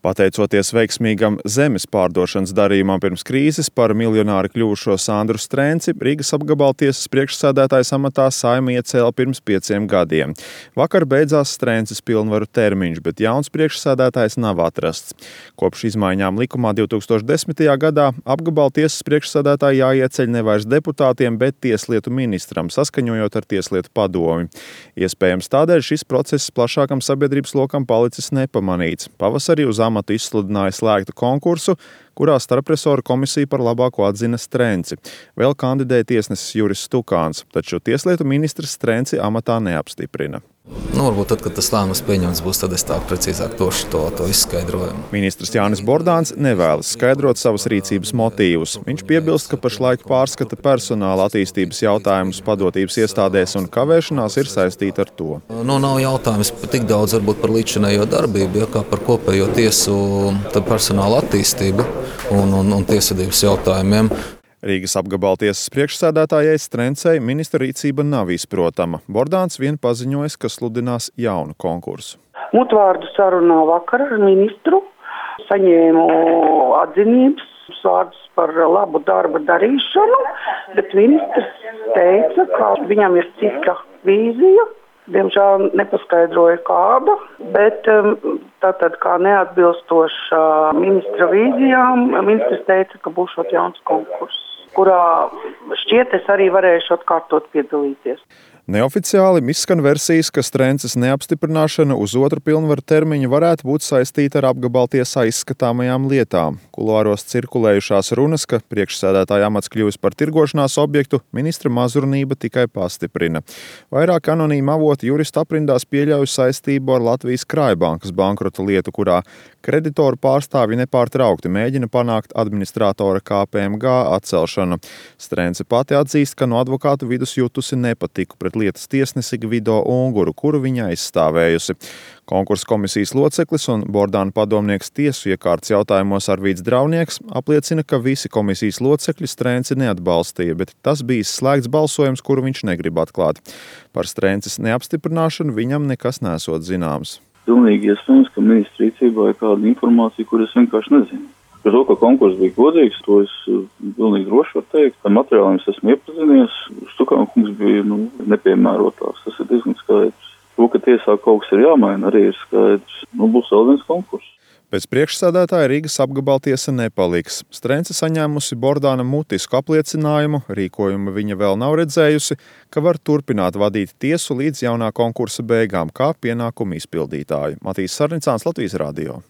Pateicoties veiksmīgam zemes pārdošanas darījumam pirms krīzes, par miljonāri kļuvušo Sandru Strenci Rīgas apgabaltiesas priekšsēdētājas amatā Saeima iecēla pirms 5 gadiem. Vakar beidzās Strences pilnvaru termiņš, bet jauns priekšsēdētājs nav atrasts. Kopš izmaiņām likumā 2010. gadā apgabaltiesas priekšsēdētāji jāieceļ nevairs deputātiem, bet tieslietu ministram, saskaņojot ar tieslietu padomi. Iespējams tādēļ šis process plašākam sabiedrības lokam palicis nepamanīts. Pavasarī uz amatu izsludināja slēgtu konkursu, kurā starpresoru komisija par labāko atzina Strenci. Vēl kandidēja tiesnesis Juris Stukāns, taču tieslietu ministrs Strenci amatā neapstiprina. Varbūt tad, kad tas lēmums pieņemts būs, tad es tā precīzāk tošu to izskaidrojumu. Ministrs Jānis Bordāns nevēlas skaidrot savas rīcības motīvus. Viņš piebilst, ka pašlaik pārskata personāla attīstības jautājumus padotības iestādēs un kavēšanās ir saistīta ar to. Nav jautājums tik daudz varbūt par līdzinējo darbību, kā par kopējo tiesu personāla attīstību un tiesvedības jautājumiem. Rīgas apgabaltiesas priekšsēdētājai Strencei ministra rīcība nav izprotama. Bordāns vien paziņojis, ka sludinās jaunu konkursu. Mutvārdu sarunā vakar ar ministru saņēmu atzinības vārdus par labu darba darīšanu, bet ministrs teica, ka viņam ir cita vīzija. Diemžēl nepaskaidroja kāda, bet tātad kā neatbilstoša ministra vīzijām, ministrs teica, ka būšot jauns konkurss, kurā šķiet es arī varēšu atkārtot piedalīties. Neoficiāli izskan versijas, ka Strences neapstiprināšana uz otru pilnvaru termiņu varētu būt saistīta ar apgabaltiesā izskatāmajām lietām. Kuloāros cirkulējušās runas, ka priekšsēdētāja amats kļuvis par tirgošanās objektu, ministra mazurnība tikai pastiprina. Vairāk anonīmi avoti juristu aprindās pieļauj saistību ar Latvijas Krājbankas bankrota lietu, kurā kreditoru pārstāvji nepārtraukti mēģina panākt administratora KPMG atcelšanu. Strence pati atzīst, ka no advokātu vidus jutusi nepatiku pret lietas tiesnesi Gvido Unguru, kuru viņa aizstāvējusi. Konkursa komisijas loceklis un Bordāna padomnieks tiesu iekārtas jautājumos Arvīds Draunieks apliecina, ka visi komisijas locekļi Strenci neatbalstīja, bet tas bija slēgts balsojums, kuru viņš negrib atklāt. Par Strences neapstiprināšanu viņam nekas nesot zināms. Pilnīgi iespējams, ka ministra rīcībā ir kāda informācija, kur es vienkārši nezinu. Par to, ka konkurss bija godīgs, to es pilnīgi droši varu teikt. Ar materiāliem es esmu iepazinies. Stukāna kungs bija nepiemērotāks. Tas ir diezgan skaidrs. To, ka tiesā kaut kas ir jāmaina, arī ir skaidrs. Būs vēl viens konkurss. Pēc priekšsēdētāja Rīgas apgabaltiesa nepaliks. Strence saņēmusi Bordāna mutisku apliecinājumu, rīkojumu viņa vēl nav redzējusi, ka var turpināt vadīt tiesu līdz jaunā konkursa beigām, kā pienākumu izpildītāju. Matīs Sarnicāns, Latvijas radio.